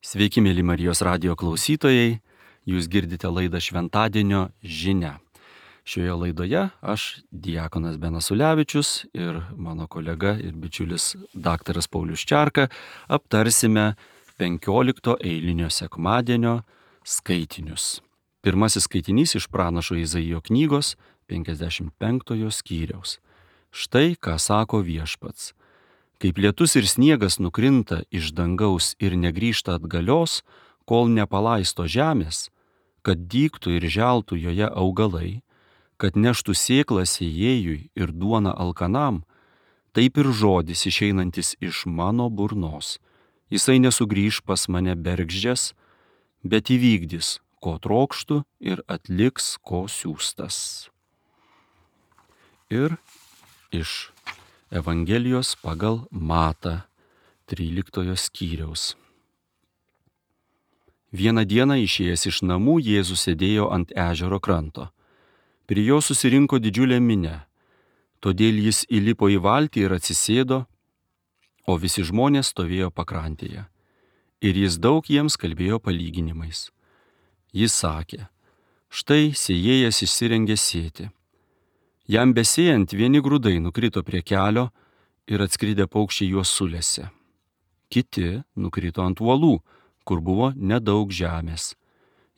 Sveiki, mėly Marijos radijo klausytojai, jūs girdite laidą Šventadienio žinia. Šioje laidoje aš, diakonas Benas Ulevičius ir mano kolega ir bičiulis daktaras Paulius Čerka aptarsime 15 eilinio sekmadienio skaitinius. Pirmasis skaitinys iš pranašo Izaijo knygos 55 skyriaus. Štai ką sako viešpats. Kaip lietus ir sniegas nukrinta iš dangaus ir negrįžta atgalios, kol nepalaisto žemės, kad dygtų ir želtų joje augalai, kad neštų sėklą sėjėjui ir duoną alkanam, taip ir žodis išeinantis iš mano burnos. Jisai nesugrįž pas mane bergždžias, bet įvykdys, ko trokštų ir atliks, ko siųstas. Ir iš Evangelijos pagal Matą 13 skyriaus. Vieną dieną išėjęs iš namų Jėzus sėdėjo ant ežero kranto. Prie jo susirinko didžiulė minia. Todėl jis įlipo į valtį ir atsisėdo, o visi žmonės stovėjo pakrantėje. Ir jis daug jiems kalbėjo palyginimais. Jis sakė, štai sėjėjas išsirengė sėti. Jam besėjant vieni grūdai nukrito prie kelio ir atskridę paukščiai juos sulėse. Kiti nukrito ant uolų, kur buvo nedaug žemės.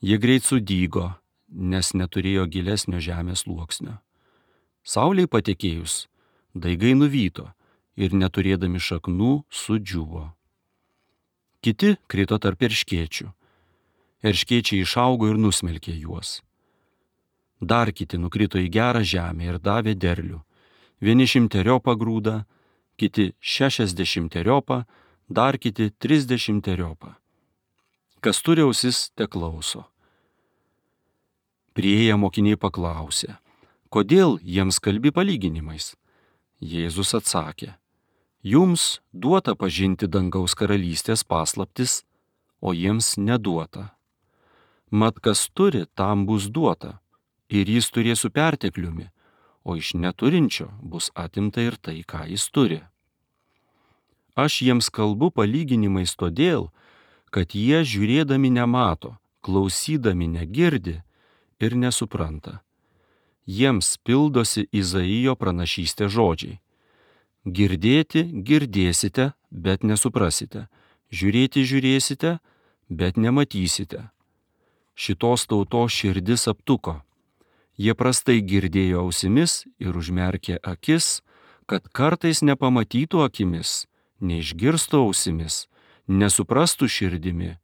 Jie greit sudygo, nes neturėjo gilesnio žemės sluoksnio. Saulei patekėjus, daigai nuvyto ir neturėdami šaknų sudžiūvo. Kiti krito tarp erškėčių. Erškėčiai išaugo ir nusmelkė juos. Dar kiti nukrito į gerą žemę ir davė derlių. Vieni 100 grūdą, kiti 60, dar kiti 30. Kas turi ausis, teklauso. Priėję mokiniai paklausė, kodėl jiems kalbi palyginimais? Jėzus atsakė, jums duota pažinti dangaus karalystės paslaptis, o jiems neduota. Mat kas turi, tam bus duota. Ir jis turės su pertekliumi, o iš neturinčio bus atimta ir tai, ką jis turi. Aš jiems kalbu palyginimais todėl, kad jie žiūrėdami nemato, klausydami negirdi ir nesupranta. Jiems pildosi Izaijo pranašystės žodžiai. Girdėti girdėsite, bet nesuprasite. Žiūrėti žiūrėsite, bet nematysite. Šitos tautos širdis aptuko. Jie prastai girdėjo ausimis ir užmerkė akis, kad kartais nepamatytų akimis, neišgirstų ausimis, nesuprastų širdimi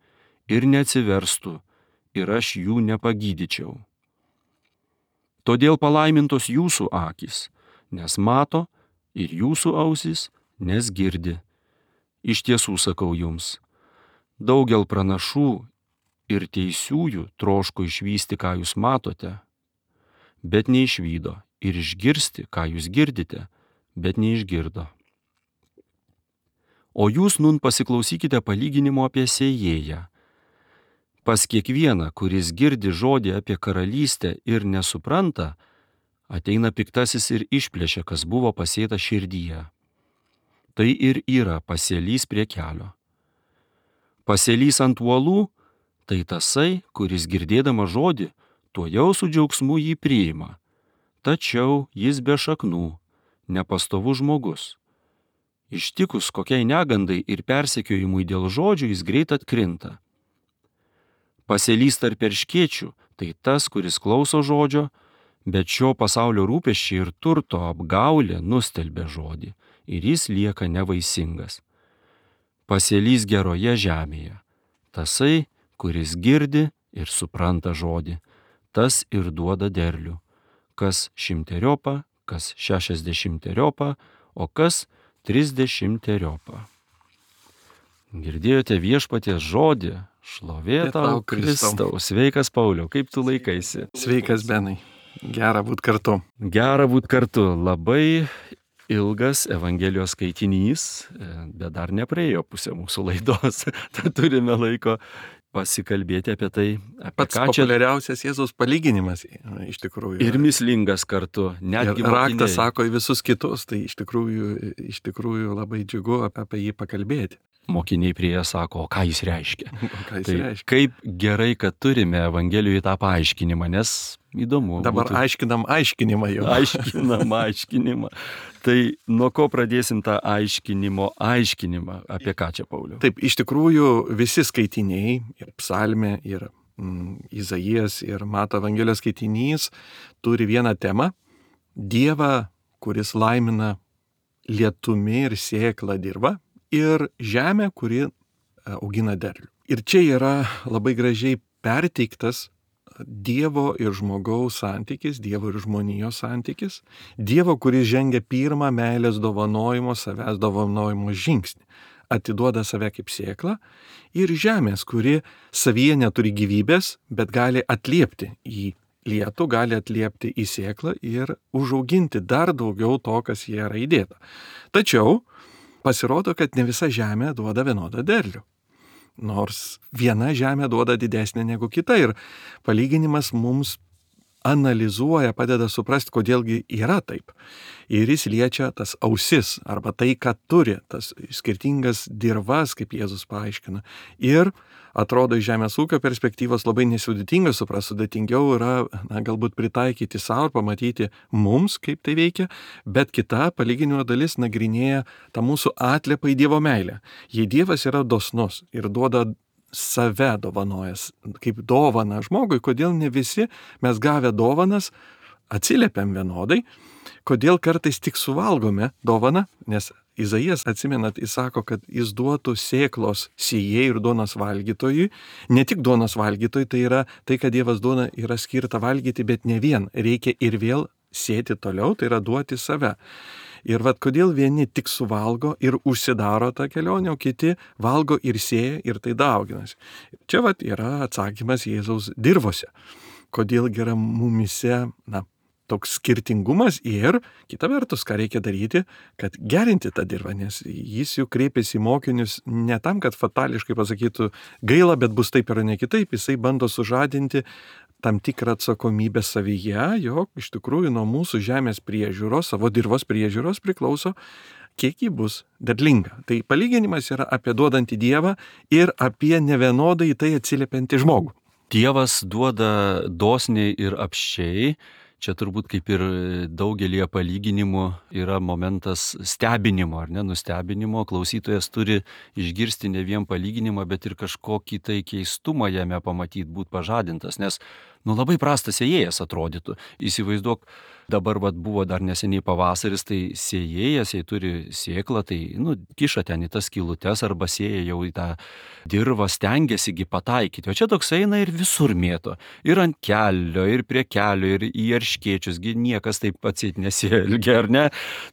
ir neatsiverstų, ir aš jų nepagydyčiau. Todėl palaimintos jūsų akys, nes mato, ir jūsų ausis, nes girdi. Iš tiesų sakau jums, daugel pranašų ir teisiųjų troško išvysti, ką jūs matote, bet neišvydo, ir išgirsti, ką jūs girdite, bet neišgirdo. O jūs nun pasiklausykite palyginimo apie sėjėją. Pas kiekvieną, kuris girdi žodį apie karalystę ir nesupranta, ateina piktasis ir išplėšia, kas buvo pasėta širdyje. Tai ir yra pasėlys prie kelio. Pasėlys ant uolų, tai tasai, kuris girdėdama žodį, tuojau su džiaugsmu jį priima. Tačiau jis be šaknų, nepastovus žmogus. Ištikus kokiai negandai ir persekiojimui dėl žodžių jis greit atkrinta. Pasėlys tarp erškėčių, tai tas, kuris klauso žodžio, bet šio pasaulio rūpesčiai ir turto apgaulė nustelbia žodį ir jis lieka nevaisingas. Pasėlys geroje žemėje, tasai, kuris girdi ir supranta žodį. Tas ir duoda derlių, kas 100, kas 60, o kas 30. Girdėjote viešpaties žodį, šlovė tau Kristau. Sveikas Pauliau, kaip tu laikaisi? Sveikas Benai, gera būt kartu. Gera būt kartu, labai ilgas Evangelijos skaitinys, bet dar nepraėjo pusė mūsų laidos, tad turime laiko pasikalbėti apie tai, apie pats ką čia. Populiariausias Jėzaus palyginimas iš tikrųjų. Ir mįslingas kartu. Ir raktas sako į visus kitus, tai iš tikrųjų labai džiugu apie jį pakalbėti. Mokiniai prieėję sako, o ką jis reiškia? reiškia? Kaip gerai, kad turime Evangelijoje tą paaiškinimą, nes įdomu. Dabar aiškinam aiškinimą jau. Aiškinimą. Tai nuo ko pradėsim tą aiškinimą? Apie ką čia, Pauliau? Taip, iš tikrųjų visi skaitiniai, ir psalmė, ir Izaijas, ir Mato Evangelijos skaitinys turi vieną temą - Dievą, kuris laimina lietumi ir sėklą dirvą, ir žemę, kuri augina derlių. Ir čia yra labai gražiai perteiktas Dievo ir žmogaus santykis, Dievo ir žmonijos santykis, Dievo, kuris žengia pirmą meilės dovanojimo, savęs dovanojimo žingsnį, atiduoda save kaip sėklą, ir žemės, kuri savyje neturi gyvybės, bet gali atliepti į lietų, gali atliepti į sėklą ir užauginti dar daugiau to, kas jie yra įdėta. Tačiau pasirodo, kad ne visa žemė duoda vienodą derlių. Nors viena žemė duoda didesnė negu kita, ir palyginimas mums analizuoja, padeda suprasti, kodėlgi yra taip. Ir jis liečia tas ausis, arba tai, ką turi, tas skirtingas dirvas, kaip Jėzus paaiškina. Ir atrodo, iš žemės ūkio perspektyvos labai nesudėtinga suprasti, sudėtingiau yra galbūt pritaikyti savo ir pamatyti mums, kaip tai veikia, bet kita palyginimo dalis nagrinėja tą mūsų atliepą į Dievo meilę. Jei Dievas yra dosnus ir duoda save dovanojas, kaip dovana žmogui, kodėl ne visi mes gavę dovanas atsiliepiam vienodai, kodėl kartais tik suvalgome dovaną, nes Izaijas, atsimenat, jis sako, kad jis duotų sėklos sėjėjui ir duonos valgytojui. Ne tik duonos valgytojui, tai yra tai, kad Dievas duona yra skirta valgyti, bet ne vien, reikia ir vėl sėti toliau, tai yra duoti save. Ir kodėl vieni tik suvalgo ir užsidaro tą kelionę, o kiti valgo ir sėja ir tai dauginasi. Čia yra atsakymas Jėzaus dirvose. Kodėl yra mumise, toks skirtingumas, ir kita vertus, ką reikia daryti, kad gerinti tą dirvą, nes jis jau kreipiasi į mokinius ne tam, kad fatališkai pasakytų gaila, bet bus taip ir ne kitaip, jisai bando sužadinti tam tikrą atsakomybę savyje, jog iš tikrųjų nuo mūsų žemės priežiūros, savo dirvos priežiūros priklauso, kiek ji bus derlinga. Tai palyginimas yra apie duodantį Dievą ir apie nevienodai tai atsiliepiantį žmogų. Dievas duoda dosniai ir apsčiai. Čia turbūt kaip ir daugelį palyginimų yra momentas stebinimo, ar ne, nustebinimo. Klausytojas turi išgirsti ne vien palyginimą, bet ir kažkokį tai keistumą jame pamatyti, būti pažadintas, nes labai prastas sėjėjas atrodytų. Įsivaizduok, dabar buvo dar neseniai pavasaris, tai sėjėjas, jei turi sėklą, tai kiša ten į tas skylutes arba sėja jau į tą dirvą, stengiasi pataikyti. O čia toks eina ir visur mėto. Ir ant kelio, ir prie kelio, ir į erškėčius, niekas taip atseit nesielgia, ar ne?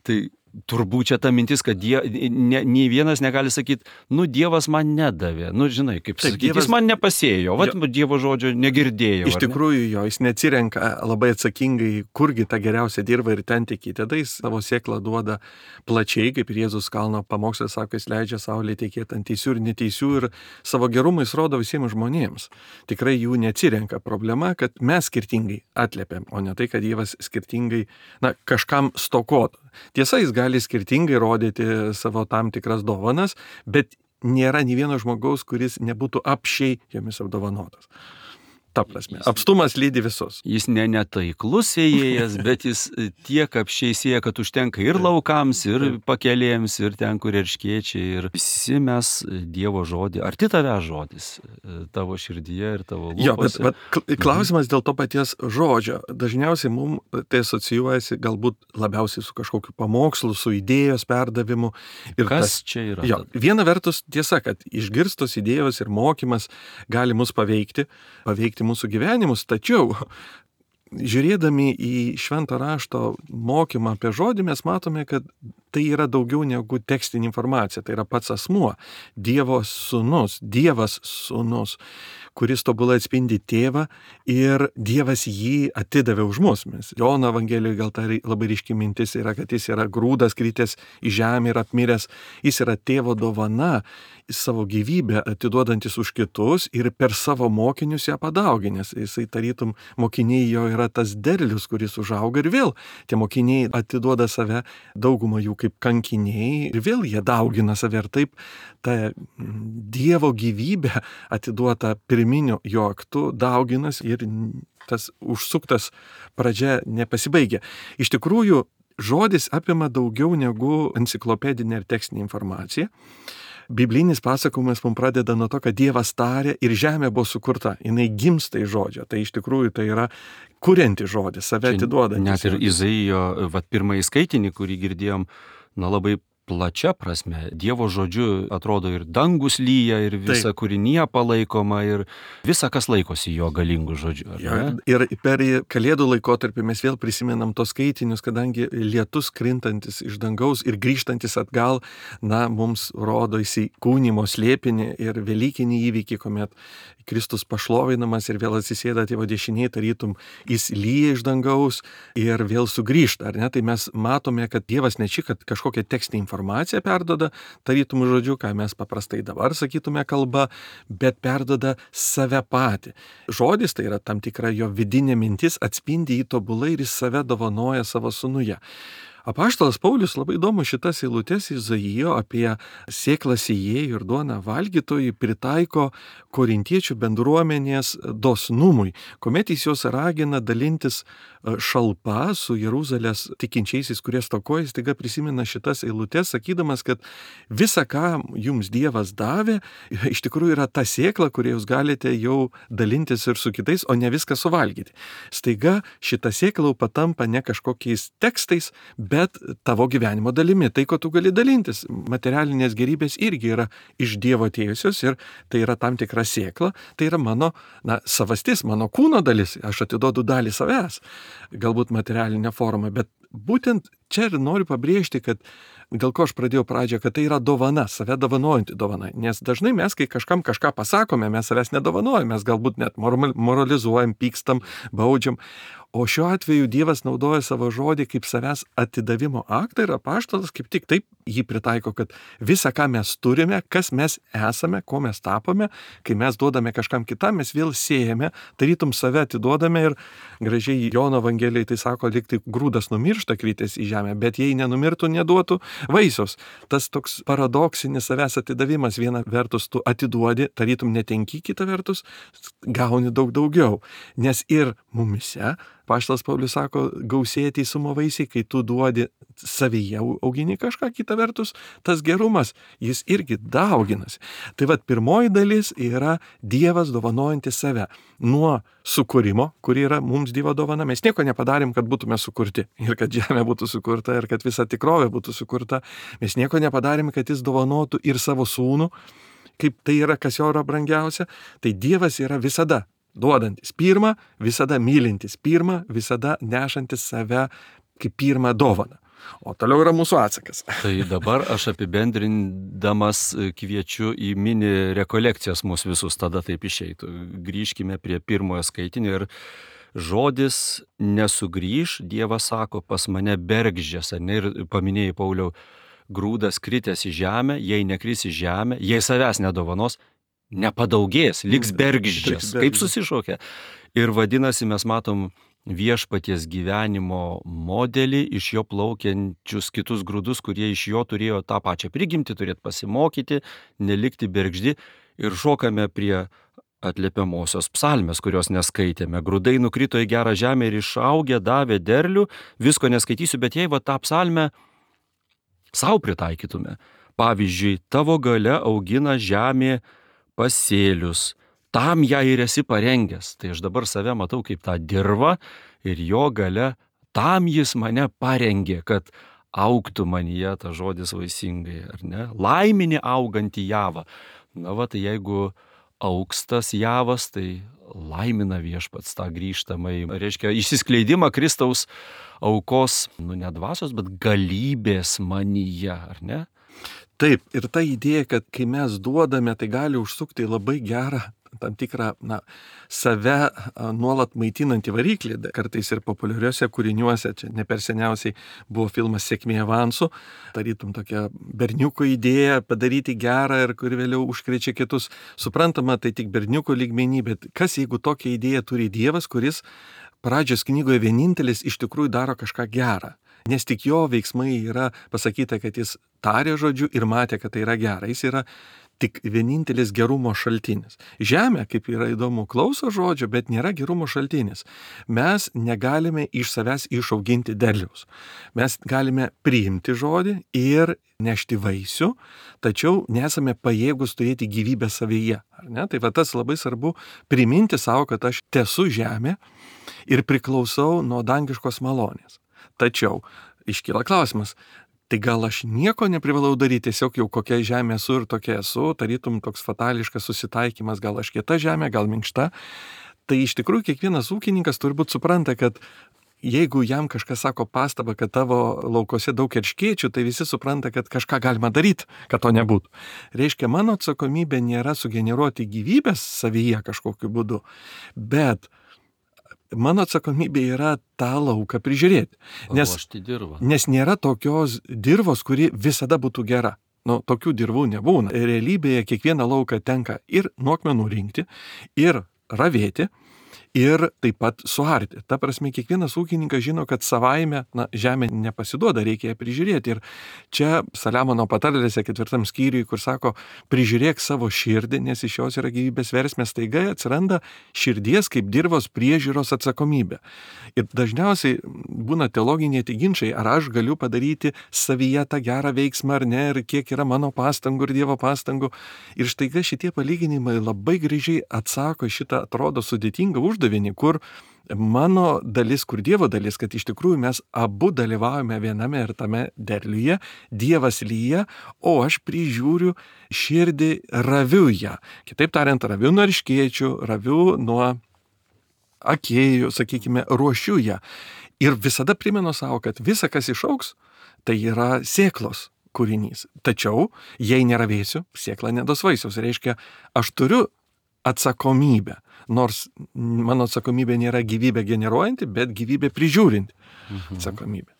Tai turbūt čia ta mintis, kad nei vienas negali sakyti, Dievas man nedavė. Žinai, kaip sakyti, jis man nepasėjo, Dievo žodžio negirdėjau. Iš tikrųjų jo, jis neatsirenka labai atsakingai, kurgi tą geriausią dirvą ir ten tik. Tada jis savo sėklą duoda plačiai, kaip ir Jėzus kalno pamoksle sako, jis leidžia saulė tekėti ant teisių ir neteisių, ir savo gerumą jis rodo visiems žmonėms. Tikrai jų neatsirenka. Problema, kad mes skirtingai atliepiam, o ne tai, kad Dievas skirtingai kažkam stokotų. Tiesa, jis gali skirtingai rodyti savo tam tikras dovanas, bet nėra nei vieno žmogaus, kuris nebūtų apsčiai jomis apdovanotas. Ta prasme, apstumas lydi visus. Jis netaiklus sėjėjas, bet jis tiek apsčiai sėja, kad užtenka ir laukams, ir pakelėms, ir ten, kur erškėčiai, ir visi mes Dievo žodį, arti tave žodis, tavo širdyje ir tavo lūpose. Jo, bet klausimas dėl to paties žodžio. Dažniausiai mums tai asocijuojasi galbūt labiausiai su kažkokiu pamokslu, su idėjos perdavimu. Ir kas čia yra? Jo, viena vertus tiesa, kad išgirstos idėjos ir mokymas gali mus paveikti mūsų gyvenimus, tačiau žiūrėdami į švento rašto mokymą apie žodį, mes matome, kad tai yra daugiau negu tekstinė informacija, tai yra pats asmuo, Dievas sūnus, kuris tobulai atspindi tėvą ir Dievas jį atidavė už mus. Jono Evangelijoje gal ta labai ryški mintis yra, kad jis yra grūdas kritęs į žemę ir apmiręs. Jis yra tėvo dovana, savo gyvybę atiduodantis už kitus ir per savo mokinius ją padauginęs. Jisai tarytum mokiniai jo yra tas derlius, kuris užauga ir vėl tie mokiniai atiduoda save, daugumą jų kaip kankiniai ir vėl jie daugina save ir taip ta Dievo gyvybė atiduota pirminiu jo aktu dauginas ir tas užsuktas pradžia nepasibaigia. Iš tikrųjų, žodis apima daugiau negu enciklopedinė ir tekstinė informacija. Biblinis pasakojimas mums pradeda nuo to, kad Dievas tarė ir žemė buvo sukurta. Jinai gimsta iš žodžio. Tai iš tikrųjų tai yra kurianti žodis, save atiduodantis. Net ir Izaijo, pirmąjį skaitinį, kurį girdėjom, labai plačia prasme. Dievo žodžiu atrodo ir dangus lyja, ir visa kūrinija palaikoma, ir visa, kas laikosi jo galingų žodžių. Ir per Kalėdų laikotarpį mes vėl prisimenam tos skaitinius, kadangi lietus krintantis iš dangaus ir grįžtantis atgal, mums rodo įsikūnimo slėpinį ir velykinį įvykį, kuomet Kristus pašlovinamas ir vėl atsisėda Tėvo dešinėje, tarytum jis lyja iš dangaus ir vėl sugrįžta, ar ne? Tai mes matome, kad Dievas ne tik kažkokią tekstinę informaciją perdoda, tarytum žodžiu, ką mes paprastai dabar sakytume kalba, bet perdoda save patį. Žodis, tai yra tam tikra jo vidinė mintis, atspindi jį tobulai ir jis save dovanoja savo sūnuje. Apaštalas Paulius labai įdomu šitas eilutes Izaijo apie sėklą sėjėjų ir duoną valgytojų pritaiko korintiečių bendruomenės dosnumui, kuomet jis juos ragina dalintis šalpa su Jeruzalės tikinčiaisiais, kurie stokoja, staiga prisimena šitas eilutes, sakydamas, kad visa, ką jums Dievas davė, iš tikrųjų yra ta sėkla, kurią jūs galite jau dalintis ir su kitais, o ne viską suvalgyti. Staiga šita sėkla patampa ne kažkokiais tekstais, bet tavo gyvenimo dalimi, tai, ko tu gali dalintis. Materialinės gerybės irgi yra iš Dievo atėjusios ir tai yra tam tikra sėkla, tai yra mano savastis, mano kūno dalis, aš atiduodu dalį savęs, galbūt materialinę formą, bet būtent čia ir noriu pabrėžti, kad dėl ko aš pradėjau pradžią, kad tai yra dovana, save dovanojanti dovana, nes dažnai mes, kai kažkam kažką pasakome, mes savęs nedovanojame, mes galbūt net moralizuojam, pykstam, baudžiam. O šiuo atveju Dievas naudoja savo žodį kaip savęs atidavimo aktą ir apaštalas kaip tik taip jį pritaiko, kad visa, ką mes turime, kas mes esame, ko mes tapome, kai mes duodame kažkam kitam, mes vėl siejame, tarytum save atiduodame ir gražiai Jono Evangelijai tai sako, lyg tai grūdas numiršta kritęs į žemę, bet jei nenumirtų, neduotų vaisiaus. Tas toks paradoksinis savęs atidavimas, viena vertus tu atiduodi, tarytum netenki, kita vertus gauni daug daugiau, nes ir mumise Apaštalas Paulius sako, gausėja teisumo vaisiai, kai tu duodi savyje augini kažką, kita vertus, tas gerumas, jis irgi dauginasi. Tai pirmoji dalis yra Dievas dovanojantis save. Nuo sukūrimo, kuri yra mums Dievo dovana, mes nieko nepadarėm, kad būtume sukurti ir kad žemė būtų sukurta ir kad visa tikrovė būtų sukurta. Mes nieko nepadarėm, kad jis dovanotų ir savo sūnų, kaip tai yra, kas jo yra brangiausia. Tai Dievas yra visada duodantis pirmą, visada mylintis pirmą, visada nešantis save kaip pirmą dovaną. O toliau yra mūsų atsakas. Tai dabar aš apibendrindamas kviečiu į mini rekolekcijas mūsų visus, tada taip išeitų. Grįžkime prie pirmojo skaitinio ir žodis nesugrįž, Dievas sako, pas mane bergždžias, ir paminėjai, Pauliau, grūdas kritęs į žemę, jei nekris į žemę, jei savęs nedovanos, nepadaugės, liks bergždžias, kaip susišaukia. Ir vadinasi, mes matom viešpaties gyvenimo modelį, iš jo plaukiančius kitus grūdus, kurie iš jo turėjo tą pačią prigimtį, turėtų pasimokyti, nelikti bergždi. Ir šokame prie atliepiamosios psalmės, kurios neskaitėme. Grūdai nukrito į gerą žemę ir išaugę davė derlių, visko neskaitysiu, bet jei tą psalmę savo pritaikytume. Pavyzdžiui, tavo galia augina žemė pasėlius, tam ją ir esi parengęs. Tai aš dabar save matau kaip tą dirvą ir jo galia, tam jis mane parengė, kad augtų manyje tas žodis vaisingai, ar ne? Laiminį augantį javą. Tai jeigu augs tas javas, tai laimina viešpats tą grįžtamai, reiškia, išsiskleidimą Kristaus aukos, ne dvasios, bet galybės manyje, ar ne? Taip, ir ta idėja, kad kai mes duodame, tai gali užsukti labai gerą tam tikrą, save nuolat maitinantį variklį. Kartais ir populiariuose kūriniuose, čia ne per seniausiai buvo filmas Sėkmė avansu, tarytum tokia berniuko idėja padaryti gerą ir kuri vėliau užkrečia kitus. Suprantama, tai tik berniuko lygmenį, bet kas jeigu tokią idėją turi Dievas, kuris pradžios knygoje vienintelis iš tikrųjų daro kažką gerą. Nes tik jo veiksmai yra pasakyta, kad jis tarė žodžiu ir matė, kad tai yra gera. Jis yra tik vienintelis gerumo šaltinis. Žemė, kaip yra įdomu, klauso žodžio, bet nėra gerumo šaltinis. Mes negalime iš savęs išauginti derliaus. Mes galime priimti žodį ir nešti vaisių, tačiau nesame pajėgus turėti gyvybę savyje. Ar ne? Tai va tas labai svarbu priminti savo, kad aš tesu žemė ir priklausau nuo dangiškos malonės. Tačiau iškyla klausimas, tai gal aš nieko neprivalau daryti, tiesiog jau kokia žemė esu ir tokia esu, tarytum toks fatališkas susitaikymas, gal aš kieta žemė, gal minkšta. Tai iš tikrųjų kiekvienas ūkininkas turbūt supranta, kad jeigu jam kažkas sako pastabą, kad tavo laukose daug erškėčių, tai visi supranta, kad kažką galima daryti, kad to nebūtų. Reiškia, mano atsakomybė nėra sugeneruoti gyvybės savyje kažkokiu būdu, bet mano atsakomybė yra tą lauką prižiūrėti. Nes nėra tokios dirvos, kuri visada būtų gera. Tokių dirvų nebūna. Realybėje kiekvieną lauką tenka ir nuokmenų rinkti, ir ravėti, ir taip pat suarti. Ta prasme, kiekvienas ūkininkas žino, kad savaime žemė nepasiduoda, reikia ją prižiūrėti. Ir čia Saliamono patarlėse 4 skyriui, kur sako, prižiūrėk savo širdį, nes iš jos yra gyvybės versmės, staiga atsiranda širdies kaip dirvos priežiūros atsakomybė. Ir dažniausiai būna teologiniai ginčai, ar aš galiu padaryti savyje tą gerą veiksmą ar ne, ir kiek yra mano pastangų ir Dievo pastangų. Ir staiga šitie palyginimai labai gražiai atsako šitą, atrodo, sudėtingą uždavinį, kur mano dalis, kur Dievo dalis, kad iš tikrųjų mes abu dalyvaujame viename ir tame derliuje, Dievas lyja, o aš prižiūriu širdį, raviu ją. Kitaip tariant, raviu nuo erškėčių, raviu nuo akėjų, sakykime, ruošiu ją. Ir visada primenu savo, kad visa, kas išaugs, tai yra sėklos kūrinys. Tačiau, jei neravėsiu, sėkla nedos vaisiaus. Reiškia, aš turiu atsakomybę. Nors mano atsakomybė nėra gyvybę generuojanti, bet gyvybę prižiūrinti atsakomybę.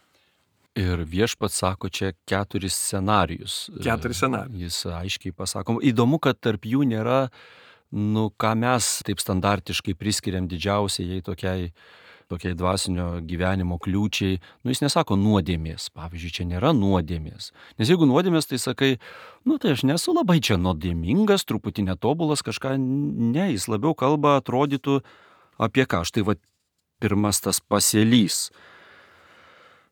Ir Viešpats sako čia 4 scenarijus. 4 scenarijus. Jis aiškiai pasako. Įdomu, kad tarp jų nėra, ką mes taip standartiškai priskiriam didžiausiai tokiai dvasinio gyvenimo kliūčiai. Jis nesako nuodėmės. Pavyzdžiui, čia nėra nuodėmės. Nes jeigu nuodėmės, tai sakai, tai aš nesu labai čia nuodėmingas, truputį netobulas, kažką. Ne, jis labiau kalba, atrodytų apie ką. Štai pirmas tas pasėlys.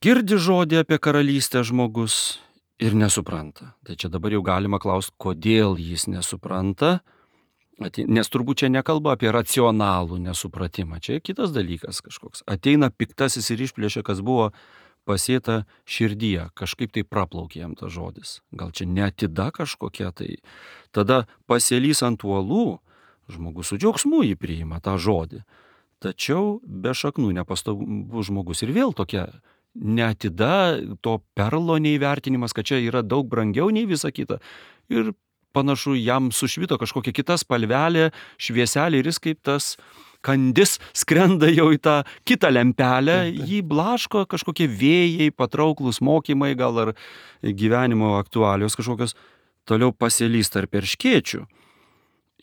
Girdi žodį apie karalystę žmogus ir nesupranta. Tai čia dabar jau galima klausti, kodėl jis nesupranta. Nes turbūt čia nekalba apie racionalų nesupratimą. Čia kitas dalykas kažkoks. Ateina piktasis ir išplėšia, kas buvo pasėta širdyje. Kažkaip tai praplaukė jam tas žodis. Gal čia neatida kažkokia tai. Tada pasėlys ant uolų, žmogus su džiaugsmu jį priima tą žodį. Tačiau be šaknų nepastovus žmogus ir vėl tokia neatida, to perlo neįvertinimas, kad čia yra daug brangiau nei visa kita. Ir panašu, jam sušvito kažkokia kita spalvelė, švieselė ir jis kaip tas kandis skrenda jau į tą kitą lempelę, jį blaško kažkokie vėjai, patrauklus mokymai, gal ar gyvenimo aktualios kažkokios, toliau pasėlys tarp erškėčių.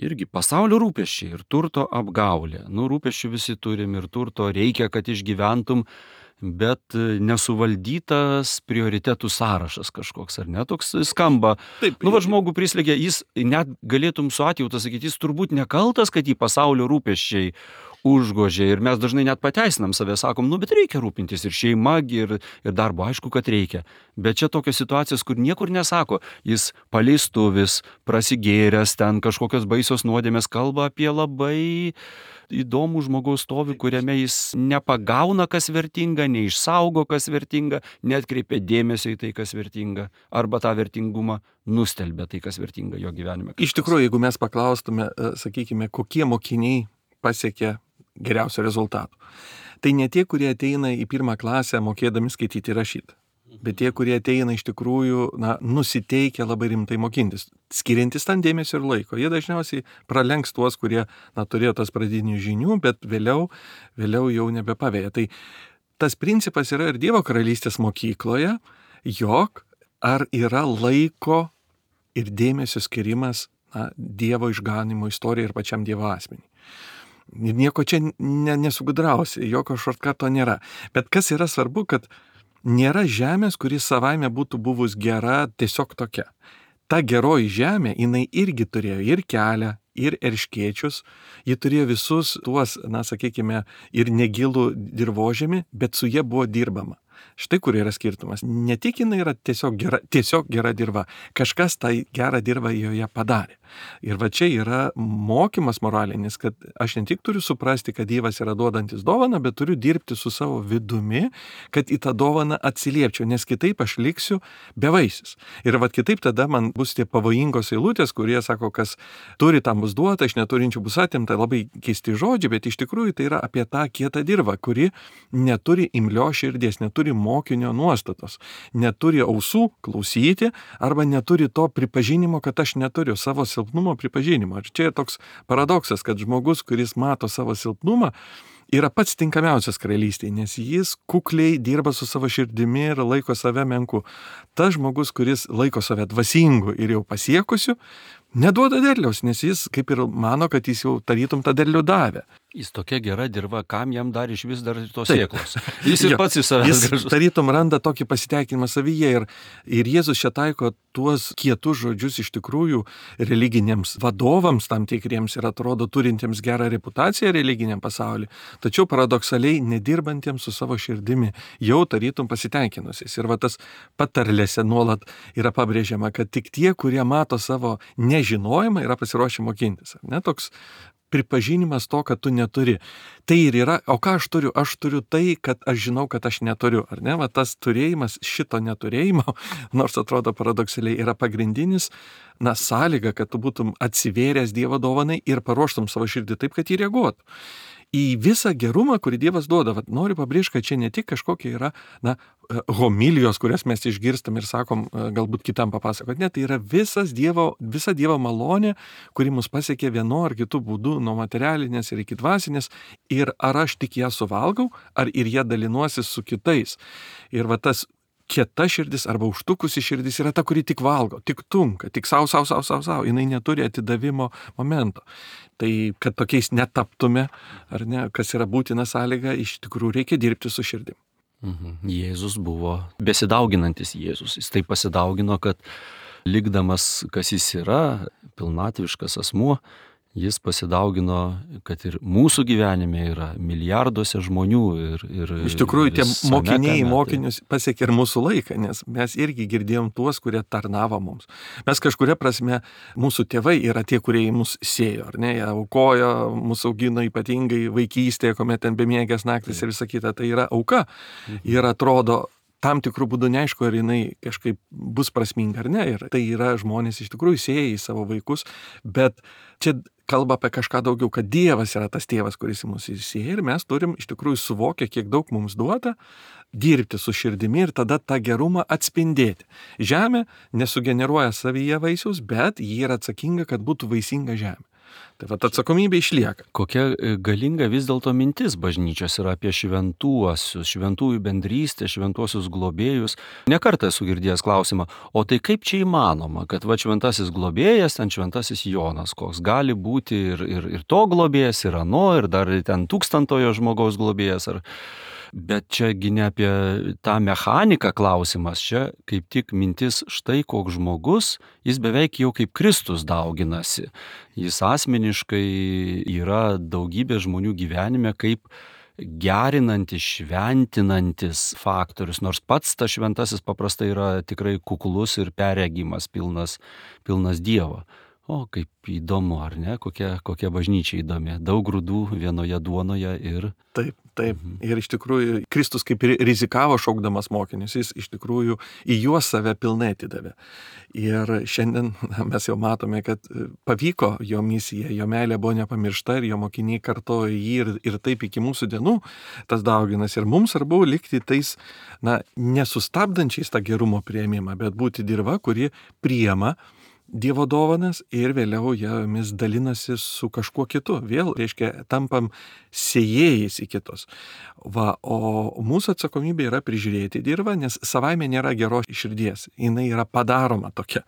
Irgi pasaulio rūpesčiai ir turto apgaulė. Rūpesčių visi turim ir turto reikia, kad išgyventum, bet nesuvaldytas prioritetų sąrašas kažkoks, ar ne? Toks skamba. Taip. Žmogų prislėgia, jis net galėtum su atjauta sakyti, jis turbūt nekaltas, kad jį pasaulio rūpesčiai užgožė. Ir mes dažnai net pateisinam save, sakom, bet reikia rūpintis ir šeima, ir darbo, aišku, kad reikia. Bet čia tokios situacijos, kur niekur nesako, jis paleistuvis, prasigėręs, ten kažkokios baisios nuodėmės, kalba apie labai įdomų žmogaus stovį, kuriame jis nepagauna, kas vertinga, neišsaugo, kas vertinga, neatkreipia dėmesio į tai, kas vertinga, arba tą vertingumą nustelbia tai, kas vertinga jo gyvenime. Iš tikrųjų, jeigu mes paklaustume, sakykime, kokie mokiniai pasiekia geriausių rezultatų, tai ne tie, kurie ateina į 1 klasę mokėdami skaityti ir rašyti. bet tie, kurie ateina iš tikrųjų, nusiteikia labai rimtai mokintis, skiriantis tam dėmesio ir laiko. Jie dažniausiai pralenks tuos, kurie, turėjo tas pradinių žinių, bet vėliau jau nebepavėja. Tai tas principas yra ir Dievo karalystės mokykloje, jog ar yra laiko ir dėmesio skirimas Dievo išganimo istorijai ir pačiam Dievo asmeniui. Nieko čia nesugudrausi, jokio šortkato nėra. Bet kas yra svarbu, kad nėra žemės, kuri savaime būtų buvus gera tiesiog tokia. Ta geroji žemė, jinai irgi turėjo ir kelią, ir erškėčius, ji turėjo visus tuos, sakykime, ir negilų dirvožemį, bet su jie buvo dirbama. Štai kur yra skirtumas. Ne tik jinai yra tiesiog gera dirva, kažkas tą gerą dirvą joje padarė. Ir va čia yra mokymas moralinis, kad aš ne tik turiu suprasti, kad Dievas yra duodantis dovaną, bet turiu dirbti su savo vidumi, kad į tą dovaną atsiliepčiau, nes kitaip aš liksiu bevaisis. Ir va kitaip tada man bus tie pavojingos eilutės, kurie sako, kas turi tam bus duota, aš neturinčių bus atimta, labai keisti žodžiai, bet iš tikrųjų tai yra apie tą kietą dirvą, kuri neturi imlios širdies, neturi mokinio nuostatos, neturi ausų klausyti arba neturi to pripažinimo, kad aš neturiu savo silpnumo pripažinimo. Ir čia toks paradoksas, kad žmogus, kuris mato savo silpnumą, yra pats tinkamiausias karalystėje, nes jis kukliai dirba su savo širdimi ir laiko save menku. Tas žmogus, kuris laiko save dvasingu ir jau pasiekusiu, neduoda derliaus, nes jis kaip ir mano, kad jis jau tarytum tą derlių davė. Jis tokia gera dirva, kam jam dar iš vis dar tos sėklos. Jis ir pats į save gražus. Jis tarytum randa tokį pasiteikinimą savyje ir Jėzus čia taiko tuos kietus žodžius iš tikrųjų religiniams vadovams tam tikriems ir atrodo turintiems gerą reputaciją religiniam pasauliu, tačiau paradoksaliai nedirbantiems su savo širdimi, jau tarytum pasiteikinusiais. Ir va tas patarlėse nuolat yra pabrėžiama, kad tik tie, kurie mato savo nežinojimą, yra pasiruošę mokintis. Ne toks pripažinimas to, kad tu neturi. Tai ir yra, o ką aš turiu? Aš turiu tai, kad aš žinau, kad aš neturiu. Ar ne? Va tas turėjimas šito neturėjimo, nors atrodo paradoksaliai, yra pagrindinis, sąlyga, kad tu būtum atsivėręs Dievo dovanai ir paruoštum savo širdį taip, kad jį reaguotų. Į visą gerumą, kurį Dievas duoda. Noriu pabrėžti, kad čia ne tik kažkokie yra homilijos, kurias mes išgirstam ir sakom, galbūt kitam papasakot. Ne, tai yra visa Dievo malonė, kuri mus pasiekė vienu ar kitu būdu, nuo materialinės ir iki dvasinės. Ir ar aš tik ją suvalgau, ar ir ją dalinuosi su kitais. Ir va tas kieta širdis arba užtukusi širdis yra ta, kuri tik valgo, tik tunka, tik sau. Jinai neturi atidavimo momento. Tai, kad tokiais netaptume, ar ne, kas yra būtina sąlyga, iš tikrųjų reikia dirbti su širdim. Jėzus buvo besidauginantis Jėzus. Jis taip pasidaugino, kad likdamas, kas jis yra, pilnatviškas asmuo, jis pasidaugino, kad ir mūsų gyvenime yra milijarduose žmonių ir iš tikrųjų tie mokiniai mokinius pasiekė ir mūsų laiką, nes mes irgi girdėjom tuos, kurie tarnavo mums. Mes kažkuria prasme, mūsų tėvai yra tie, kurie į mus sėjo, ar ne, jie aukojo, mūsų augino ypatingai vaikystėje, kuomet ten bemiegės naktis ir visa kita, tai yra auka. Ir atrodo, tam tikrų būdų neaišku, ar jinai kažkaip bus prasminga ar ne. Ir tai yra žmonės iš tikrųjų sėja į savo vaikus, bet čia kalba apie kažką daugiau, kad Dievas yra tas tėvas, kuris į mus įsėja ir mes turim iš tikrųjų suvokę, kiek daug mums duota, dirbti su širdimi ir tada tą gerumą atspindėti. Žemė nesugeneruoja savyje vaisiaus, bet ji yra atsakinga, kad būtų vaisinga žemė. Tai va, atsakomybė išlieka. Kokia galinga vis dėlto mintis bažnyčios yra apie šventuosius, šventųjų bendrystę, šventuosius globėjus. Nekartą esu girdėjęs klausimą, o tai kaip čia įmanoma, kad va šventasis globėjas, ten šventasis Jonas, koks gali būti ir to globėjas, ir ano, ir dar ten 1000-ojo žmogaus globėjas. Bet čiagi ne apie tą mechaniką klausimas, čia kaip tik mintis štai koks žmogus, jis beveik jau kaip Kristus dauginasi. Jis asmeniškai yra daugybė žmonių gyvenime kaip gerinantis, šventinantis faktorius, nors pats tas šventasis paprastai yra tikrai kuklus ir perregimas, pilnas Dievo. O, kaip įdomu, ar ne? Kokia bažnyčia įdomi. Daug grūdų vienoje duonoje ir... Taip, taip. Ir iš tikrųjų Kristus kaip ir rizikavo šaukdamas mokinius, jis iš tikrųjų į juos save pilnai atidavė. Ir šiandien mes jau matome, kad pavyko jo misija, jo meilė buvo nepamiršta ir jo mokiniai kartojo jį ir taip iki mūsų dienų tas dauginas. Ir mums svarbu likti tais, nesustabdančiais tą gerumo priėmimą, bet būti dirva, kuri priima Dievo dovanas ir vėliau jomis dalinasi su kažkuo kitu. Vėl, reiškia, tampam sėjėjais į kitus. O mūsų atsakomybė yra prižiūrėti dirvą, nes savaime nėra geros širdies. Jinai yra padaroma tokia.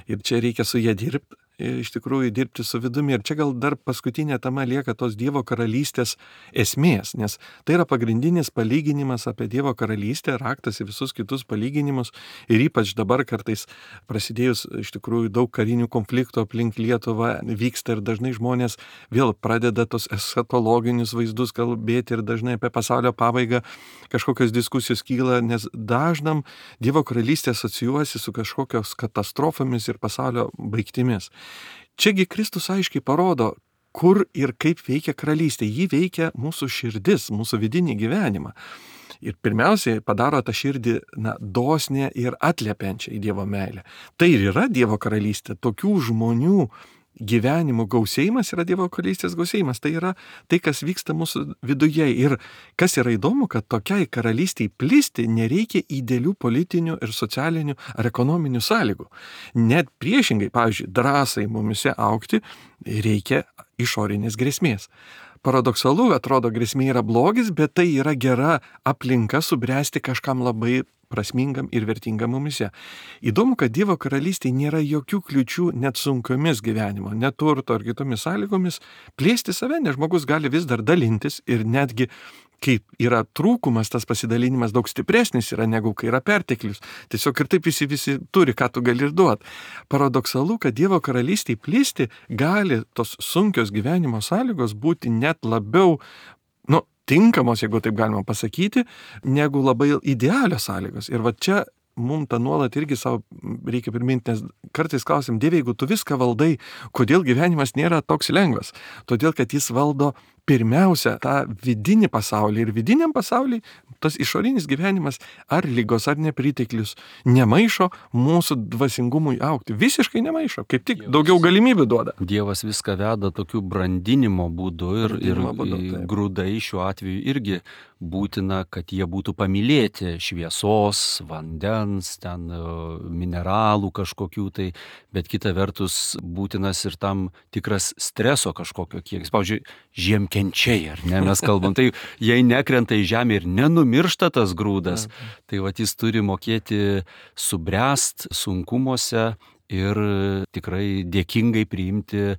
Ir čia reikia su ją dirbti. Iš tikrųjų dirbti su vidumi. Ir čia gal dar paskutinė tema lieka tos Dievo karalystės esmės, nes tai yra pagrindinis palyginimas apie Dievo karalystę, raktas į visus kitus palyginimus. Ir ypač dabar kartais prasidėjus iš tikrųjų daug karinių konfliktų aplink Lietuvą vyksta ir dažnai žmonės vėl pradeda tos eschatologinius vaizdus kalbėti ir dažnai apie pasaulio pabaigą kažkokios diskusijos kyla, nes dažnam Dievo karalystė asocijuosi su kažkokios katastrofomis ir pasaulio baigtimis. Čiagi Kristus aiškiai parodo, kur ir kaip veikia karalystė. Ji veikia mūsų širdis, mūsų vidinį gyvenimą. Ir pirmiausiai padaro tą širdį dosnę ir atliepiančią į Dievo meilę. Tai ir yra Dievo karalystė. Tokių žmonių gyvenimo gausėjimas yra Dievo karalystės gausėjimas. Tai yra tai, kas vyksta mūsų viduje. Ir kas yra įdomu, kad tokiai karalystiai plisti nereikia idealių politinių ir socialinių ar ekonominių sąlygų. Net priešingai, pavyzdžiui, drąsai mumise augti reikia išorinės grėsmės. Paradoksalu, atrodo, grėsmė yra blogis, bet tai yra gera aplinka subręsti kažkam labai prasmingam ir vertingam mumise. Įdomu, kad Dievo karalystėje nėra jokių kliučių net sunkiomis gyvenimo, neturto ar kitomis sąlygomis plėsti save, nes žmogus gali vis dar dalintis ir netgi kai yra trūkumas, tas pasidalinimas daug stipresnis yra negu kai yra perteklius. Tiesiog ir taip visi turi, ką tu gali ir duoti. Paradoksalu, kad Dievo karalystėje plisti gali tos sunkios gyvenimo sąlygos būti net labiau, tinkamos, jeigu taip galima pasakyti, negu labai idealios sąlygos. Ir va čia mums tą nuolat irgi savo reikia priminti, nes kartais klausim, Dieve, jeigu tu viską valdai, kodėl gyvenimas nėra toks lengvas? Todėl, kad jis valdo pirmiausia tą vidinį pasaulį ir vidiniam pasauliui tas išorinis gyvenimas ar lygos ar nepriteklius nemaišo mūsų dvasingumui augti. Visiškai nemaišo, kaip tik daugiau galimybių duoda. Dievas viską veda tokiu brandinimo būdu ir grūdai šiuo atveju irgi būtina, kad jie būtų pamylėti šviesos, vandens, ten mineralų kažkokių tai, bet kita vertus būtinas ir tam tikras streso kažkokio kiekis. Pavyzdžiui, žiemkenčiai, ar ne, mes kalbam, tai jei nekrenta į žemę ir nenumiršta tas grūdas, tai jis turi mokėti subręst sunkumuose ir tikrai dėkingai priimti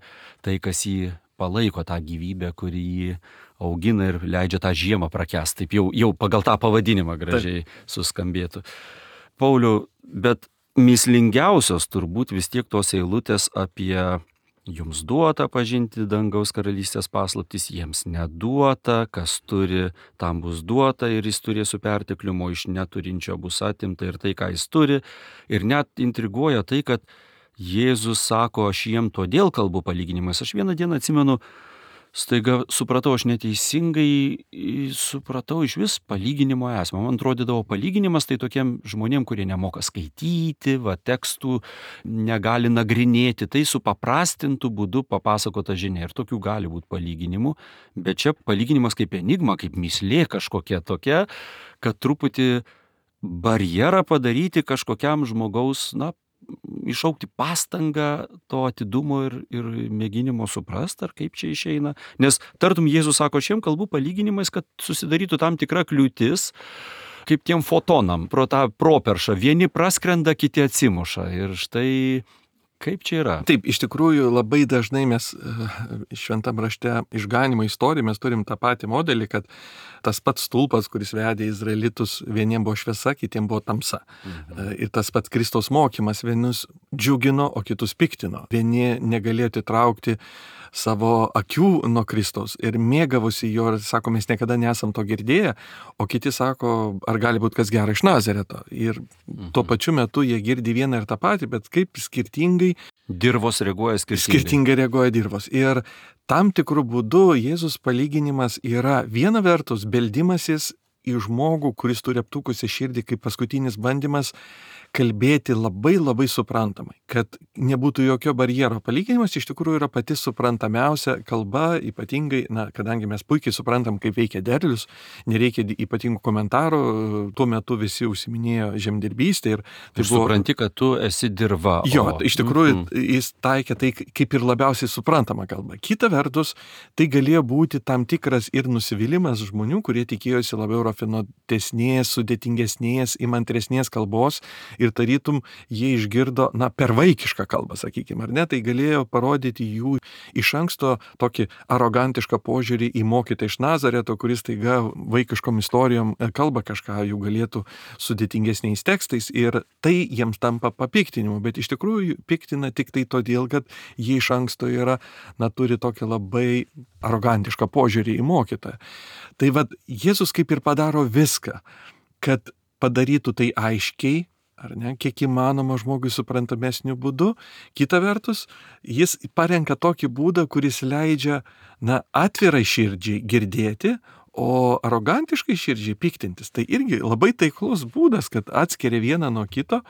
tai, kas jį palaiko, tą gyvybę, kuri jį augina ir leidžia tą žiemą prakęst. Taip jau pagal tą pavadinimą gražiai suskambėtų. Pauliau, bet mįslingiausios turbūt vis tiek tos eilutės apie jums duota pažinti dangaus karalystės paslaptis, jiems neduota, kas turi, tam bus duota ir jis turės su perteklium, o iš neturinčio bus atimta ir tai, ką jis turi. Ir net intriguoja tai, kad Jėzus sako, aš jiem todėl kalbu palyginimais. Aš vieną dieną atsimenu, staiga supratau, aš neteisingai supratau iš vis palyginimo esmę. Man atrodydavo palyginimas tai tokiem žmonėm, kurie nemoka skaityti, tekstų negali nagrinėti, tai su paprastintų būdu papasakota žinia. Ir tokių gali būti palyginimų, bet čia palyginimas kaip enigma, kaip mįslė kažkokia tokia, kad truputį barjerą padaryti kažkokiam žmogaus, išaukti pastangą to atidumo ir mėginimo suprasti, ar kaip čia išeina. Nes tartum Jėzus sako, aš jiem kalbu palyginimais, kad susidarytų tam tikra kliūtis, kaip tiem fotonam, pro tą properšą. Vieni praskrenda, kiti atsimuša. Ir štai kaip čia yra? Taip, iš tikrųjų labai dažnai mes šventam rašte išganimo istorijoje mes turim tą patį modelį, kad tas pats stulpas, kuris vedė izraelitus, vieniem buvo šviesa, kitiem buvo tamsa. Ir tas pats Kristaus mokymas vienus džiugino, o kitus piktino. Vieni negalėjo atitraukti savo akių nuo Kristaus ir mėgavosi jo ir sako, mes niekada nesam to girdėję, o kiti sako, ar gali būti kas gera iš Nazareto. Ir tuo pačiu metu jie girdi vieną ir tą patį, bet kaip skirtingai Dirvos reaguoja skirtingai. skirtingai reaguoja dirvos. Ir tam tikrų būdų Jėzus palyginimas yra viena vertus beldimasis į žmogų, kuris turi aptukusią širdį kaip paskutinis bandymas kalbėti labai labai suprantamai, kad nebūtų jokio barjero. Palyginimas iš tikrųjų yra pati suprantamiausia kalba, ypatingai, kadangi mes puikiai suprantam, kaip veikia derlius, nereikia ypatingų komentarų, tuo metu visi užsiminėjo žemdirbystę. Ir supranti, kad tu esi dirva. Jo, iš tikrųjų jis taikė tai kaip ir labiausiai suprantama kalba. Kita vertus, tai galėjo būti tam tikras ir nusivylimas žmonių, kurie tikėjosi labiau rafinuotesnės, sudėtingesnės, įmantresnės kalbos ir tarytum jie išgirdo, per vaikišką kalbą, sakykime, ar ne, tai galėjo parodyti jų iš anksto tokį arogantišką požiūrį į mokytą iš Nazareto, kuris taiga vaikiškom istorijom kalba kažką, jų galėtų sudėtingesniais tekstais ir tai jiems tampa papiktinimu, bet iš tikrųjų piktina tik tai todėl, kad jie iš anksto yra, turi tokį labai arogantišką požiūrį į mokytoją. Tai Jėzus kaip ir padaro viską, kad padarytų tai aiškiai, ar ne, kiek įmanoma žmogui suprantamesniu būdu. Kita vertus, jis parenka tokį būdą, kuris leidžia, atvirai širdžiai girdėti, o arogantiškai širdžiai piktintis. Tai irgi labai taiklus būdas, kad atskiria vieną nuo kito,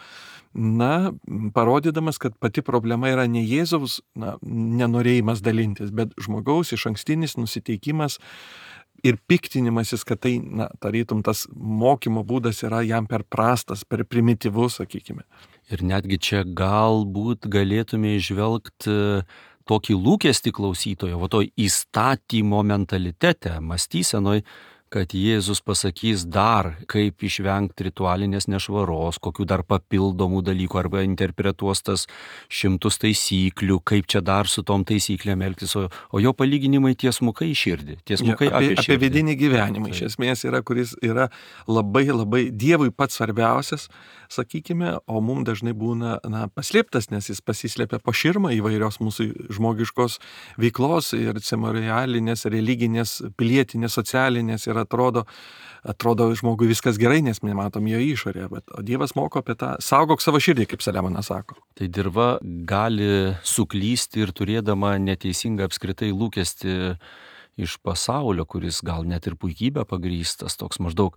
parodydamas, kad pati problema yra ne Jėzaus nenorėjimas dalintis, bet žmogaus išankstinis nusiteikimas ir piktinimasis, kad tai, tarytum, tas mokymo būdas yra jam per prastas, per primityvus, sakykime. Ir netgi čia galbūt galėtume įžvelgti tokį lūkestį klausytojo, to įstatymo mentalitete, mąstysenoj, kad Jėzus pasakys dar, kaip išvengti ritualinės nešvaros, kokių dar papildomų dalykų, arba interpretuos tas 100 taisyklių, kaip čia dar su tom taisyklėm elgtis, o jo palyginimai tiesmukai į širdį, tiesmukai apie širdį. Apie vidinį gyvenimą, iš esmės yra, kuris yra labai labai Dievui pats svarbiausias, sakykime, o mums dažnai būna paslėptas, nes jis pasislėpia po širmą įvairios mūsų žmogiškos veiklos ir ceremonialinės, religinės, pilietinės, socialinės ir atrodo žmogui viskas gerai, nes mes matom jo išorę, o Dievas moko apie tą, saugok savo širdį, kaip Saliamonas sako. Tai dirva gali suklysti ir turėdama neteisingą apskritai lūkestį iš pasaulio, kuris gal net ir puikybę pagrįstas, toks maždaug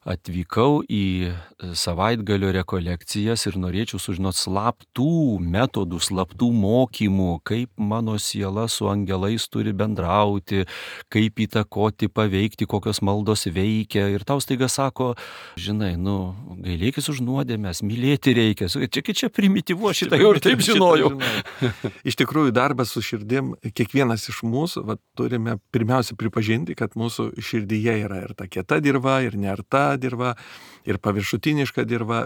atvykau į savaitgalio rekolekcijas ir norėčiau sužinoti slaptų metodų, slaptų mokymų, kaip mano siela su angelais turi bendrauti, kaip įtakoti, paveikti, kokios maldos veikia. Ir tau staiga sako, žinai, gailėkis už nuodėmes, mylėti reikia. Čia primityvu, šitą jau ir taip žinojau. Iš tikrųjų, darbas su širdim, kiekvienas iš mūsų turime pirmiausia pripažinti, kad mūsų širdyje yra ir ta kieta dirva, ir nearta dirva, ir paviršutiniška dirva,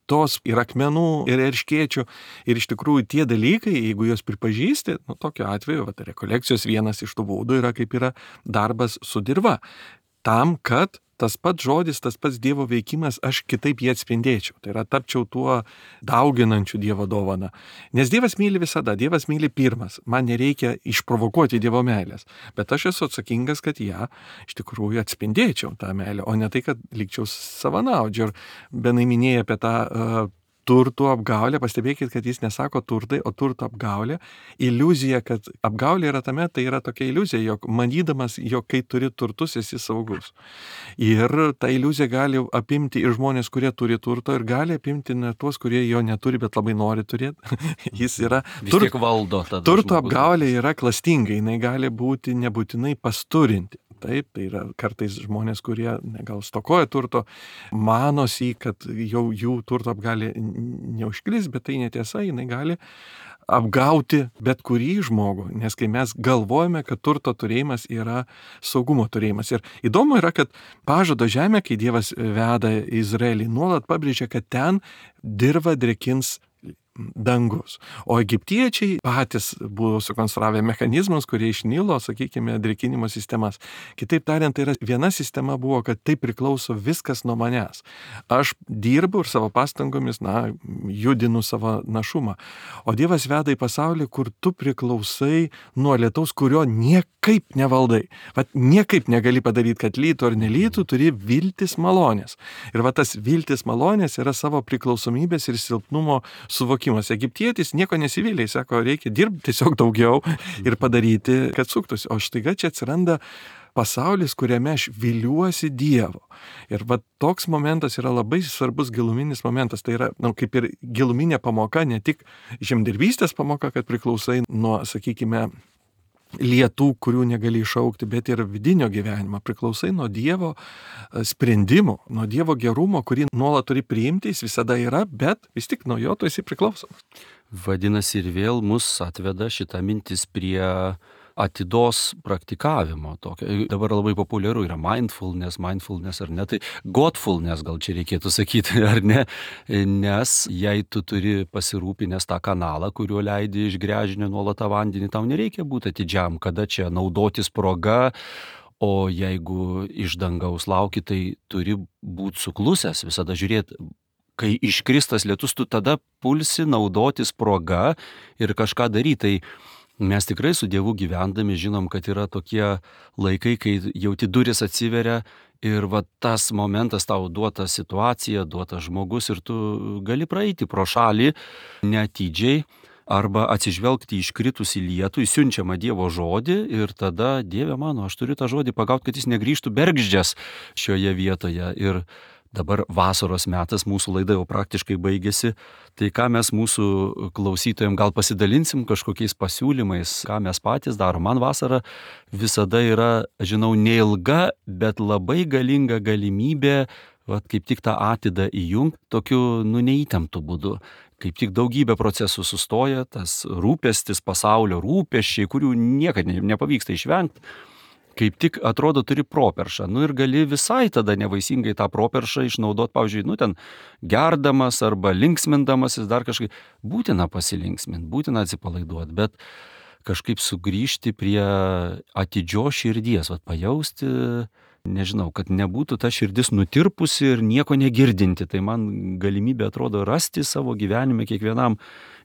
tos ir akmenų, ir erškėčių. Ir iš tikrųjų tie dalykai, jeigu juos pripažįsti, tokiu atveju, rekolekcijos vienas iš tų būdų yra kaip yra darbas su dirva. Tam, kad tas pats žodis, tas pats Dievo veikimas, aš kitaip jį atspindėčiau. Tai yra tapčiau tuo dauginančiu Dievo dovaną. Nes Dievas myli visada, Dievas myli pirmas. Man nereikia išprovokuoti Dievo meilės. Bet aš esu atsakingas, kad ją iš tikrųjų atspindėčiau tą meilę, o ne tai, kad likčiau savanaudžiu. Ir Benai minėjo apie tą turtų apgaulę, pastebėkit, kad jis nesako turtai, o turto apgaulė. Iliuzija, kad apgaulė yra tame, tai yra tokia iliuzija, jog manydamas, jog kai turi turtus, esi saugus. Ir ta iliuzija gali apimti ir žmonės, kurie turi turto, ir gali apimti net tuos, kurie jo neturi, bet labai nori turėti. Jis yra... Vis tiek valdo tada. Turto apgaulė yra klastinga, jinai gali būti nebūtinai pasturinti. Taip, tai yra kartais žmonės, kurie gal stokoja turto, manosi, kad jau jų turto apgali neužklis, bet tai netiesa, jinai gali apgauti bet kurį žmogų, nes kai mes galvojame, kad turto turėjimas yra saugumo turėjimas. Ir įdomu yra, kad pažado žemė, kai Dievas veda Izraelį, nuolat pabrėžia, kad ten dirva drėkins dangus. O egiptiečiai patys buvo sukonstravę mechanizmus, kurie iš Nilo, sakykime, drėkinimo sistemas. Kitaip tariant, tai yra viena sistema buvo, kad tai priklauso viskas nuo manęs. Aš dirbu ir savo pastangomis, judinu savo našumą. O Dievas veda į pasaulį, kur tu priklausai nuo lietaus, kurio niekaip nevaldai. Vat niekaip negali padaryti, kad lytų ar nelytų, turi viltis malonės. Ir va tas viltis malonės yra savo priklausomybės ir silpnumo suvokimas. Egiptietis nieko nesivylė, sako, reikia dirbti tiesiog daugiau ir padaryti, kad suktųsi. O štaiga čia atsiranda pasaulis, kuriame aš viliuosi Dievo. Ir va toks momentas yra labai svarbus giluminis momentas. Tai yra, kaip ir giluminė pamoka, ne tik žemdirbystės pamoka, kad priklausai nuo, sakykime, lietų, kurių negali išaukti, bet ir vidinio gyvenimo. Priklausai nuo Dievo sprendimų, nuo Dievo gerumo, kurį nuolat turi priimti, jis visada yra, bet vis tik nuo jo tu esi priklausomas. Vadinasi, ir vėl mus atveda šita mintis prie atidos praktikavimo. Dabar labai populiaru yra mindfulness ar ne, tai godfulness gal čia reikėtų sakyti, ar ne, nes jei tu turi pasirūpinęs tą kanalą, kuriuo leidi iš gręžinio nuolat tą vandenį, tau nereikia būti atidžiam, kada čia naudotis proga, o jeigu iš dangaus lauki, tai turi būti suklusęs, visada žiūrėti. Kai iškristas lietus, tu tada pulsi naudotis proga ir kažką daryti. Tai mes tikrai su Dievu gyvendami žinom, kad yra tokie laikai, kai jauti duris atsiveria ir va tas momentas tau duota situacija, duotas žmogus ir tu gali praeiti pro šalį neatidžiai arba atsižvelgti į iškritusį lietų, į siunčiamą Dievo žodį ir tada, Dieve mano, aš turiu tą žodį pagauti, kad jis negrįžtų bergždžias šioje vietoje. Ir dabar vasaros metas, mūsų laida jau praktiškai baigėsi, tai ką mes mūsų klausytojams gal pasidalinsim kažkokiais pasiūlymais, ką mes patys darom. Man vasara visada yra, žinau, neilga, bet labai galinga galimybė, kaip tik tą atidą įjungti tokiu neįtemptu būdu. Kaip tik daugybė procesų sustoja, tas rūpestis, pasaulio rūpesčiai, kurių niekad nepavyksta išvengti. Kaip tik atrodo turi properšą. Ir gali visai tada nevaisingai tą properšą išnaudoti, pavyzdžiui, ten gerdamas arba linksmindamasis dar kažkaip. Būtina pasilinksminti, būtina atsipalaiduoti, bet kažkaip sugrįžti prie atidžios širdies, pajausti, nežinau, kad nebūtų ta širdis nutirpusi ir nieko negirdinti. Tai man galimybė atrodo rasti savo gyvenime kiekvienam.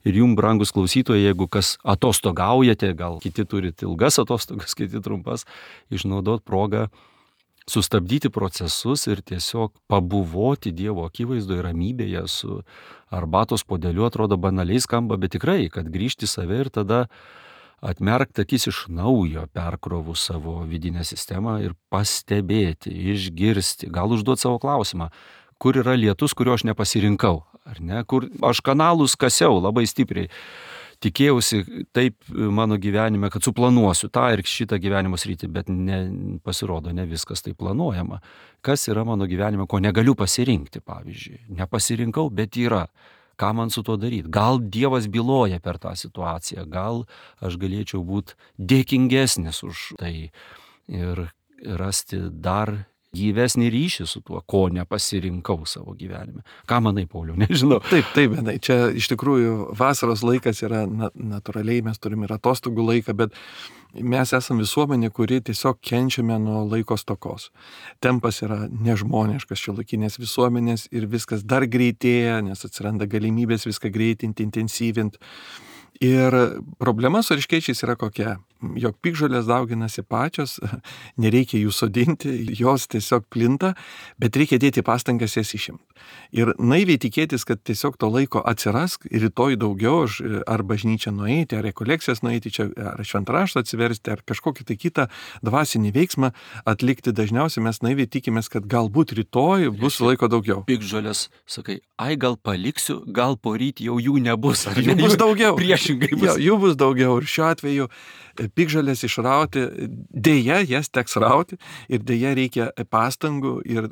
Ir jums, brangus klausytojai, jeigu kas atostogaujate, gal kiti turite ilgas atostogas, kiti trumpas, išnaudoti progą sustabdyti procesus ir tiesiog pabuvoti Dievo akivaizdoje ramybėje su arbatos puodeliu. Atrodo banaliai skamba, bet tikrai, kad grįžti save ir tada atmerkti akis iš naujo, perkrovus savo vidinę sistemą ir pastebėti, išgirsti, gal užduoti savo klausimą, kur yra lietus, kurio aš nepasirinkau, ar ne, kur aš kanalus kasiau labai stipriai. Tikėjausi taip mano gyvenime, kad suplanuosiu tą ir šitą gyvenimo sritį, bet pasirodo, ne viskas taip planuojama. Kas yra mano gyvenime, ko negaliu pasirinkti, pavyzdžiui. Nepasirinkau, bet yra. Ką man su tuo daryti? Gal Dievas byloja per tą situaciją, gal aš galėčiau būti dėkingesnis už tai ir rasti dar gyvesnį ryšį su tuo, ko nepasirinkau savo gyvenime. Ką manai, Pauliau, nežinau. Taip, Benai, čia iš tikrųjų vasaros laikas yra natūraliai, mes turime ir atostogų laiką, bet mes esame visuomenė, kuri tiesiog kenčiame nuo laiko stokos. Tempas yra nežmoniškas šiuolaikinės visuomenės ir viskas dar greitėja, nes atsiranda galimybės viską greitinti, intensyvinti. Ir problema su erškėčiais yra kokia, jog piktžolės dauginasi pačios, nereikia jų sodinti, jos tiesiog plinta, bet reikia dėti pastangas jas išimti. Ir naiviai tikėtis, kad tiesiog to laiko atsiras, rytoj daugiau, ar bažnyčią nueiti, ar rekolekcijas nueiti, čia, ar šventraštą atsiversti, ar kažkokį tai kitą dvasinį veiksmą atlikti. Dažniausiai mes naiviai tikimės, kad galbūt rytoj bus laiko daugiau. Piktžolės, sakai, gal paliksiu, gal poryt jau jų nebus. Jų bus daugiau. Priešingai bus. Jų bus daugiau. Ir šiuo atveju Piktžolės išrauti, dėja jas teks rauti ir dėja reikia pastangų ir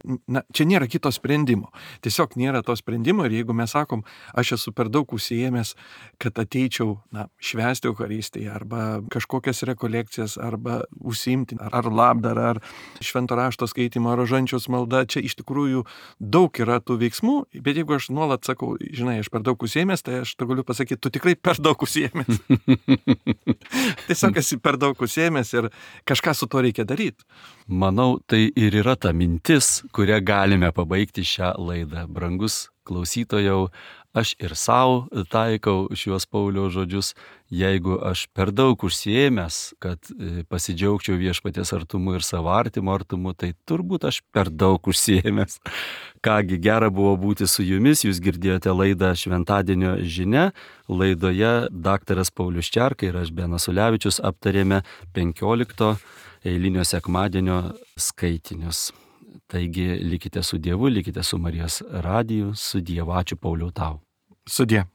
čia nėra kito sprendimo. Tiesiog nėra to sprendimo ir jeigu mes sakom, aš esu per daug užsiėmęs, kad ateičiau švęsti Eucharistiją arba kažkokias rekolekcijas arba užsiimti ar labdarą, ar švento rašto skaitymą, ar rožančiaus maldą, čia iš tikrųjų daug yra tų veiksmų, bet jeigu aš nuolat sakau, žinai, aš per daug užsiėmęs, tai aš galiu pasakyti, tu tikrai per daug užsiėmęs. Tiesiog esi per daug užsiėmęs ir kažką su to reikia daryti. Manau, tai ir yra ta mintis, kurią galime pabaigti šią laidą. Brangus klausytojau, aš ir savo taikau šiuos Pauliaus žodžius, jeigu aš per daug užsiėmęs, kad pasidžiaugčiau viešpaties artumu ir savo artimo artumu, tai turbūt aš per daug užsiėmęs. Kągi, gera buvo būti su jumis, jūs girdėjote laidą Šventadienio žinia. Laidoje daktaras Paulius Čerka ir aš Benas Ulevičius aptarėme 15 eilinio sekmadienio skaitinius. Taigi likite su Dievu, likite su Marijos radiju, su Dievu. Ačiū, Pauliau, tau. Sudie.